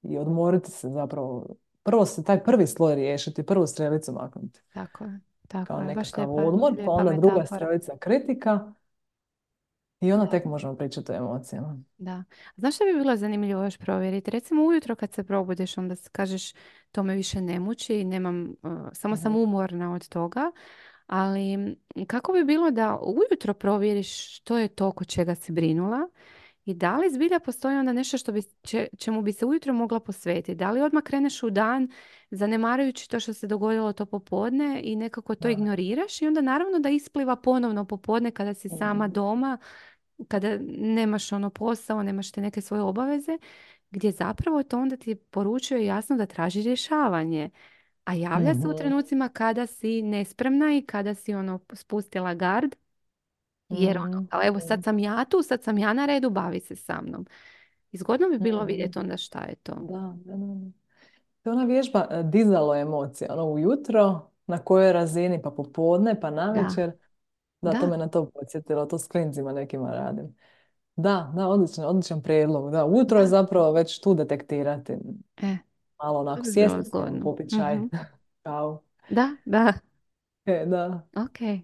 i odmoriti se zapravo. Prvo se taj prvi sloj riješiti, prvu strelicu maknuti Tako je. Tako kao je. Baš nekakav lijepa, odmor, pa lijepa onda druga metafora. strelica kritika i onda Da. tek možemo pričati o emocijama. Da. Znaš što bi bilo zanimljivo još provjeriti? Recimo ujutro kad se probudiš, onda s- kažeš to me više ne muči i nemam, uh, samo sam Mhm. umorna od toga. Ali m, kako bi bilo da ujutro provjeriš što je to oko čega si brinula i da li zbilja postoji onda nešto što bi, če- čemu bi se ujutro mogla posvetiti? Da li odmah kreneš u dan zanemarujući to što se dogodilo to popodne i nekako to Da. ignoriraš i onda naravno da ispliva ponovno popodne kada si sama Mhm. doma, kada nemaš ono posao, nemaš te neke svoje obaveze, gdje zapravo to onda ti poručuje jasno da traži rješavanje. A javlja se u Mhm. trenucima kada si nespremna i kada si ono spustila gard. Jer ono, Mhm. kao evo sad Mhm. sam ja tu, sad sam ja na redu, bavi se sa mnom. I zgodno bi bilo Mhm. vidjeti onda šta je to. Da, da, da. Da. To je ona vježba e, dizalo emocije, ono ujutro, na kojoj razini, pa popodne, pa Da, navečer. Da, to da, me na to podsjetilo, to s klincima nekima radim. Da, da, odličan, odličan prijedlog. Da, ujutro je da. zapravo već tu detektirati. E, Malo to onako bi bilo sjesti s njom, zgodno. popit čaj, Mhm. kavu. Da, da, E, da. ok.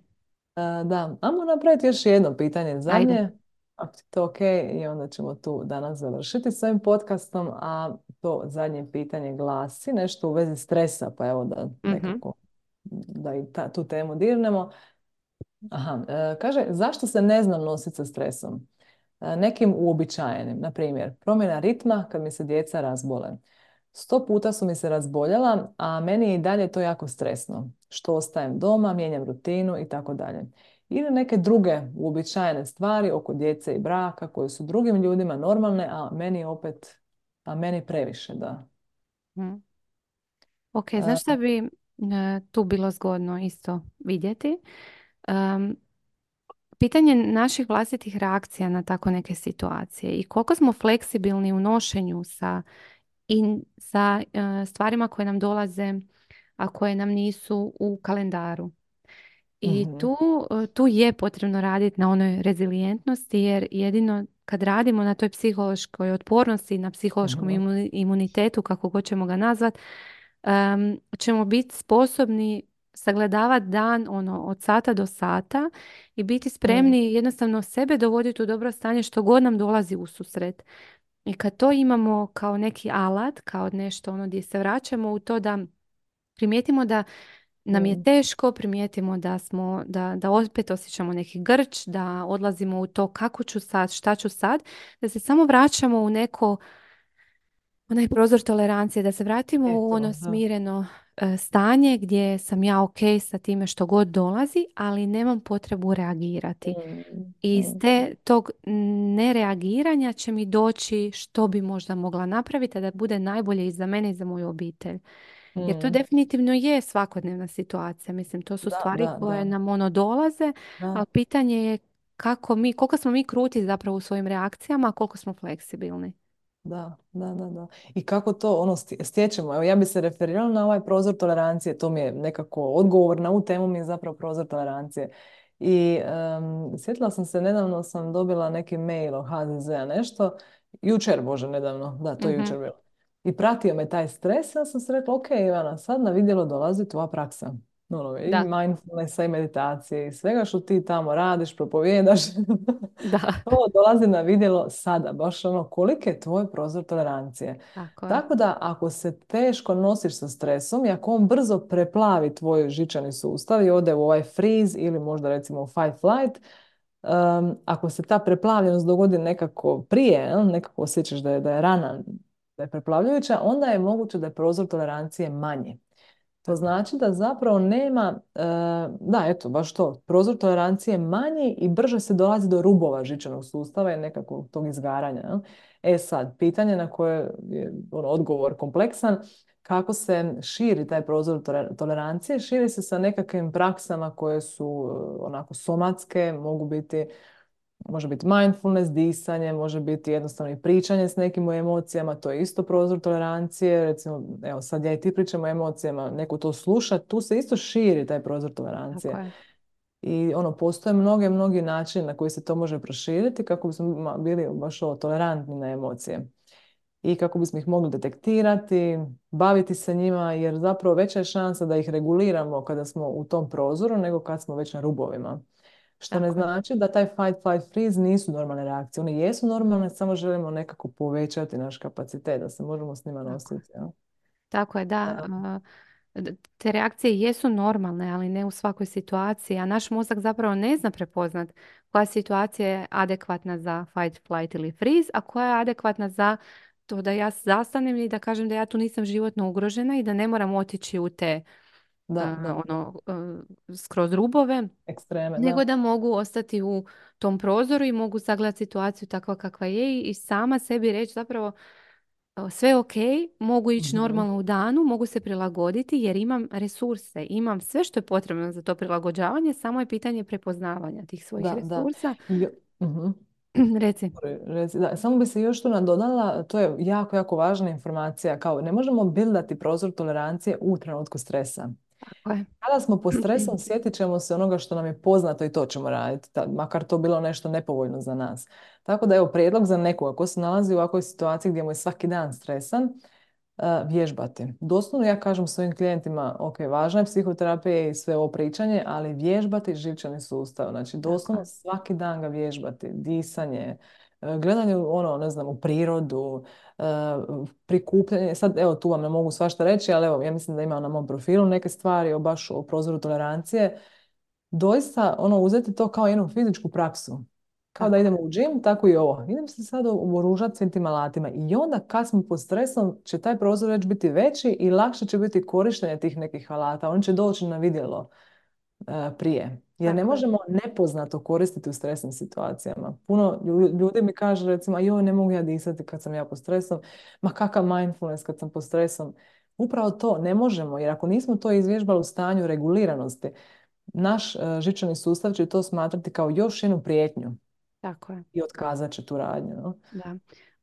E, da, ajmo napraviti još jedno pitanje Ajde. zadnje, ako ti je to ok, i onda ćemo tu danas završiti s ovim podcastom, a to zadnje pitanje glasi nešto u vezi stresa, pa evo da Mhm. nekako da i ta, tu temu dirnemo. Aha, e, kaže, zašto se ne znam nositi sa stresom? E, nekim uobičajenim, na primjer, promjena ritma kad mi se djeca razbole. Sto puta su mi se razboljela, a meni je i dalje to jako stresno. Što ostajem doma, mijenjam rutinu i tako dalje. Ili neke druge uobičajene stvari oko djece i braka koje su drugim ljudima normalne, a meni opet, a meni previše, da. Mhm. Ok, znaš šta E, bi e, tu bilo zgodno isto vidjeti? Em, pitanje naših vlastitih reakcija na tako neke situacije i koliko smo fleksibilni u nošenju sa, i sa e, stvarima koje nam dolaze, a koje nam nisu u kalendaru. I mhm, tu, e, tu je potrebno raditi na onoj rezilijentnosti jer jedino kad radimo na toj psihološkoj otpornosti, na psihološkom mhm, imu- imunitetu, kako god ćemo ga nazvat, em, ćemo biti sposobni sagledavati dan ono, od sata do sata i biti mhm, spremni jednostavno sebe dovoditi u dobro stanje što god nam dolazi u susret. I kad to imamo kao neki alat, kao nešto ono gdje se vraćamo u to da primijetimo da nam je mhm, teško, primijetimo da smo, da, da opet osjećamo neki grč, da odlazimo u to kako ću sad, šta ću sad, da se samo vraćamo u neko, onaj prozor tolerancije, da se vratimo u eto, ono da. smireno e, stanje gdje sam ja ok sa time što god dolazi, ali nemam potrebu reagirati. Mhm, I iz mhm, te, tog nereagiranja će mi doći što bi možda mogla napraviti, a da bude najbolje i za mene i za moju obitelj. Jer to mhm. definitivno je svakodnevna situacija. Mislim, to su Da, stvari da, koje da, nam ono dolaze, da. ali pitanje je kako mi, koliko smo mi kruti zapravo u svojim reakcijama, a koliko smo fleksibilni. Da, da, da, da. I kako to ono stje- stječemo? Evo ja bi se referirala na ovaj prozor tolerancije. To mi je nekako odgovor na ovu temu mi je zapravo prozor tolerancije. I em, sjetila sam se, nedavno sam dobila neki mail od ha ze zea nešto. Jučer, bože, nedavno. Da, to je Mhm. jučer bilo. I pratio me taj stres. Ja sam se rekla, ok, Ivana, sad na vidjelo dolazi tvoja praksa. Ono, i Da, mindfulnessa i meditacije i svega što ti tamo radiš, propovijedaš. da, To dolazi na vidjelo sada, baš ono koliki je tvoj prozor tolerancije. tako je. Tako da ako se teško nosiš sa stresom i ako on brzo preplavi tvoj žičani sustav i ode u ovaj freeze ili možda recimo u fight flight, um, ako se ta preplavljenost dogodi nekako prije, jel, nekako osjećaš da je, da je rana, da je preplavljujuća, onda je moguće da je prozor tolerancije manji. To Tako je. znači da zapravo nema, e, da eto, baš to, prozor tolerancije je manji i brže se dolazi do rubova žičanog sustava i nekakvog tog izgaranja. Jel? E sad, pitanje na koje je ono, odgovor kompleksan, kako se širi taj prozor tole- tolerancije, širi se sa nekakvim praksama koje su e, onako somatske, mogu biti može biti mindfulness, disanje, može biti jednostavno i pričanje s nekim o emocijama, to je isto prozor tolerancije. Recimo, evo sad ja i ti pričamo o emocijama, neko to sluša, tu se isto širi taj prozor Tako tolerancije. je. I ono, postoje mnoge, mnogi načini na koji se to može proširiti kako bismo ma- bili baš ovo, tolerantni na emocije. I kako bismo ih mogli detektirati, baviti se njima, jer zapravo veća je šansa da ih reguliramo kada smo u tom prozoru nego kad smo već na rubovima. Što ne Tako je. znači da taj fight, flight, freeze nisu normalne reakcije. One jesu normalne, samo želimo nekako povećati naš kapacitet da se možemo s njima Tako je. nositi. Jel? Tako je, da. Da, a, d- Te reakcije jesu normalne, ali ne u svakoj situaciji, a naš mozak zapravo ne zna prepoznat koja situacija je adekvatna za fight, flight ili freeze, a koja je adekvatna za to da ja zastanem i da kažem da ja tu nisam životno ugrožena i da ne moram otići u te da, a, da, da. ono a, skroz rubove, Ekstreme, nego da. da mogu ostati u tom prozoru i mogu sagledati situaciju takva kakva je i i sama sebi reći zapravo sve ok, mogu ići Mhm. normalno u danu, mogu se prilagoditi jer imam resurse, imam sve što je potrebno za to prilagođavanje, samo je pitanje prepoznavanja tih svojih Da, da. resursa. Jo- mhm. Reci. Re- reci- Da, samo bi se još tu nadodala, to je jako, jako važna informacija, kao ne možemo bildati prozor tolerancije u trenutku stresa. Tako je. Kada smo pod stresom, sjetit ćemo se onoga što nam je poznato i to ćemo raditi, ta- makar to bilo nešto nepovoljno za nas. Tako da evo prijedlog za nekoga ko se nalazi u ovakvoj situaciji gdje mu je svaki dan stresan, e, vježbati. Doslovno ja kažem svojim klijentima, ok, važna je psihoterapija i sve ovo pričanje, ali vježbati živčani sustav. Znači Tako doslovno je. svaki dan ga vježbati, disanje, e, gledanje u ono, ne znam, u prirodu, e, prikupljanje. Sad evo tu vam ne mogu svašta reći, ali evo ja mislim da ima na mom profilu neke stvari o baš o prozoru tolerancije. Doista ono uzeti to kao jednu fizičku praksu. Kao da Tako idemo je. u džim, tako i ovo. Idem se sad oboružati svim tim alatima. I onda kad smo pod stresom će taj prozor već biti veći i lakše će biti korištenje tih nekih alata. On će doći na vidjelo e, prije. Jer ne Tako je. možemo nepoznato koristiti u stresnim situacijama. Puno lju- ljudi mi kaže recimo, joj, ne mogu ja disati kad sam ja pod stresom. Ma kakav mindfulness kad sam pod stresom. Upravo to ne možemo, jer ako nismo to izvježbali u stanju reguliranosti, naš e, živčani sustav će to smatrati kao još jednu prijetnju Tako je. i otkazat će tu radnju. No? Da.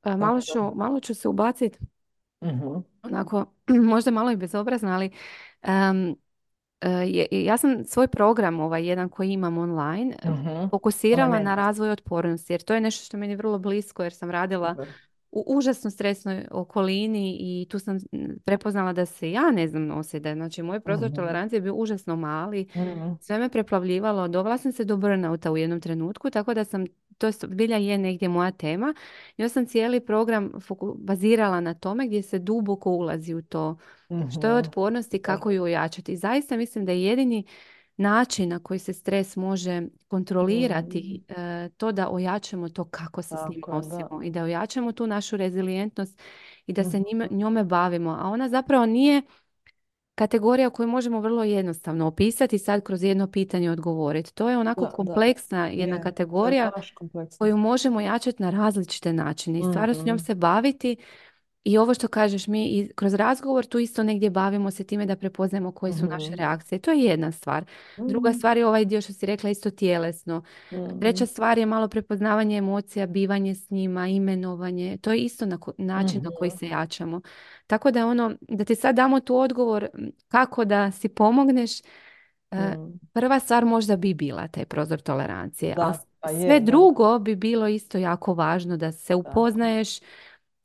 E, malo Tako da. ću, malo ću se ubaciti, Mhm, onako, možda malo i bezobrazno, ali em, e, je- ja sam svoj program, ovaj jedan koji imam online, e, mhm. Onaj fokusirala na mentor. razvoj otpornosti, jer to je nešto što je meni vrlo blisko, jer sam radila Super. u užasno stresnoj okolini i tu sam mm, prepoznala da se ja ne znam nositi. Da je, znači, moj prozor Mhm, tolerancije je bio užasno mali, mhm, sve me preplavljivalo, dovela sam se do burnouta u jednom trenutku, tako da sam, to je bilja je negdje moja tema. I ja sam cijeli program foku- bazirala na tome gdje se duboko ulazi u to što je mhm. otpornost i Super. kako ju ojačati. I zaista mislim da je jedini način na koji se stres može Mhm. kontrolirati e, to da ojačamo to kako se s njim Tako je, da. nosimo i da ojačamo tu našu rezilijentnost i da se njime, Mhm, njome bavimo. A ona zapravo nije kategorija koju možemo vrlo jednostavno opisati i sad kroz jedno pitanje odgovoriti. To je onako da, da. kompleksna jedna Je, to je kategorija baš kompleksno. koju možemo jačati na različite načine i stvarno s njom Mhm, se baviti i ovo što kažeš, mi i kroz razgovor tu isto negdje bavimo se time da prepoznajemo koje su naše mhm, reakcije. To je jedna stvar. Druga mhm, stvar je ovaj dio što si rekla isto tjelesno. mhm, Treća stvar je malo prepoznavanje emocija, bivanje s njima, imenovanje. To je isto na ko- način na koji mhm, se jačamo. Tako da ono, da ti sad damo tu odgovor m, kako da si pomogneš, e, mhm. prva stvar možda bi bila taj prozor tolerancije, ali Da, pa sve je, da, drugo bi bilo isto jako važno da se tako. upoznaješ,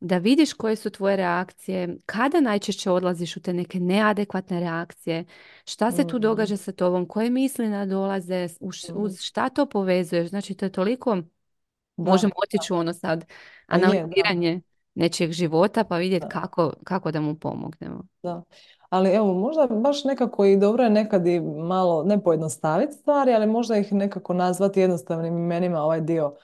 da vidiš koje su tvoje reakcije, kada najčešće odlaziš u te neke neadekvatne reakcije, šta se tu Mhm, događa sa tobom, koje misli nadolaze, uz mhm. uz šta to povezuješ. Znači, to je toliko, možemo Da, otići u ono sad pa je, da. analiziranje nečijeg života pa vidjeti Da. kako, kako da mu pomognemo. Da. Ali evo, možda baš nekako i dobro je nekad i malo, ne pojednostaviti stvari, ali možda ih nekako nazvati jednostavnim imenima, ovaj dio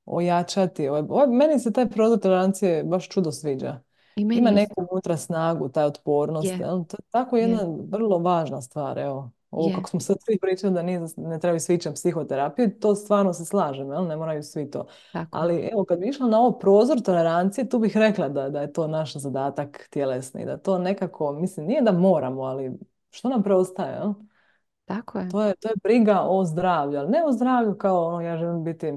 ojačati. Ovaj, ovaj- meni se taj prozor tolerancije baš čudo sviđa. I Ima meni neku isto. unutra snagu, taj otpornost. Je, jel? To je tako je, jedna vrlo važna stvar. Evo. Ovo je, kako smo sad svi pričali da nije, ne trebaju svi ići na psihoterapiju, to stvarno se slažem, jel? Ne moraju svi to. tako je. Ali evo, kad bi išla na ovo prozor tolerancije, tu bih rekla da, da je to naš zadatak tjelesni, da to nekako, mislim, nije da moramo, ali što nam preostaje, jel? Tako je. To je, to je briga o zdravlju, ali ne o zdravlju kao ono, ja želim biti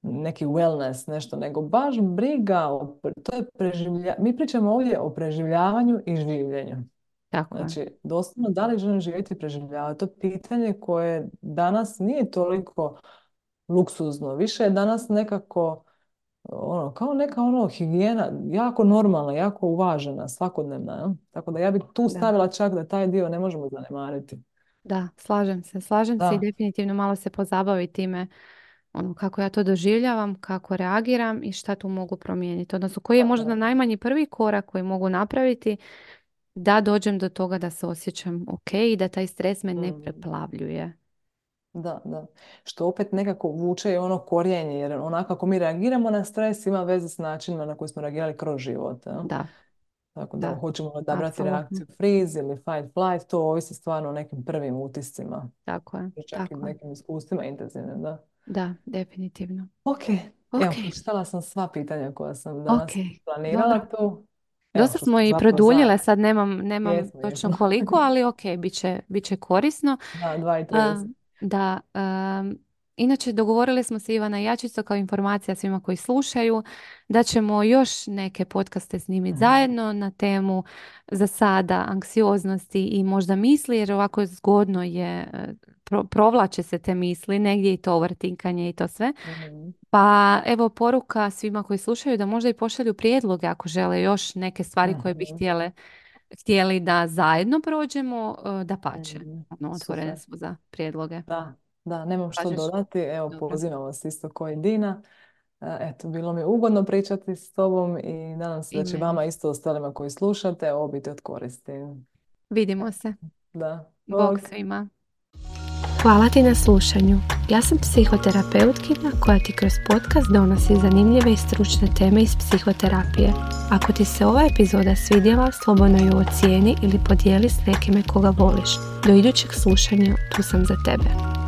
neki wellness, nešto, nego baš briga, o, to je preživlja, mi pričamo ovdje o preživljavanju i življenju. Tako je. Znači, doslovno, da li želim živjeti i preživljavati? To je pitanje koje danas nije toliko luksuzno. Više je danas nekako ono, kao neka ono higijena, jako normalna, jako uvažena, svakodnevna. Jel? Tako da ja bih tu Da. stavila čak da taj dio ne možemo zanemariti. Da, slažem se. Slažem se i Da. definitivno malo se pozabaviti time ono, kako ja to doživljavam, kako reagiram i šta tu mogu promijeniti. Odnosno, koji je Da, možda da. najmanji prvi korak koji mogu napraviti da dođem do toga da se osjećam ok i da taj stres me ne Mm, preplavljuje. da, da. Što opet nekako vuče i ono korijenje, jer onako kako mi reagiramo na stres ima veze s načinima na koji smo reagirali kroz život. Jel? Da, Tako da da, hoćemo odabrati apsolutno. reakciju freeze ili fight flight, to ovisi stvarno o nekim prvim utiscima. Tako je, I čak i tako je. nekim iskustvima intenzivnim, da. Da, definitivno. Ok, Ok, evo, pročitala sam sva pitanja koja sam ok, danas planirala dobro. tu. Evo Dosta što smo smo i zapravo produljile, zajedno. sad nemam, nemam Jesmo, točno jesmo. koliko, ali ok, bit će, bit će korisno. Da, dva i A, trideset. da, um, inače dogovorili smo se Ivana i ja čisto kao informacija svima koji slušaju da ćemo još neke podcaste snimiti Mhm. zajedno na temu za sada anksioznosti i možda misli, jer ovako zgodno je, e, pro- provlače se te misli, negdje i to overtinkanje i to sve. Mhm. Pa evo poruka svima koji slušaju da možda i pošalju prijedloge ako žele još neke stvari koje bi Mhm. htjele, htjeli da zajedno prođemo, da pače. Mhm. Ono, otvorene Super. smo za prijedloge. Da, da, nemam što Kažeš? dodati. Evo, Dobro. pozivam vas isto ko i Dina. E, Eto, bilo mi je ugodno pričati s tobom i nadam se I da će meni. vama isto ostalima koji slušate ovo biti od koristi. Vidimo se. Da, Bog bog. svima. Hvala ti na slušanju. Ja sam psihoterapeutkinja koja ti kroz podcast donosi zanimljive i stručne teme iz psihoterapije. Ako ti se ova epizoda svidjela, slobodno ju ocijeni ili podijeli s nekime koga voliš. Do idućeg slušanja, tu sam za tebe.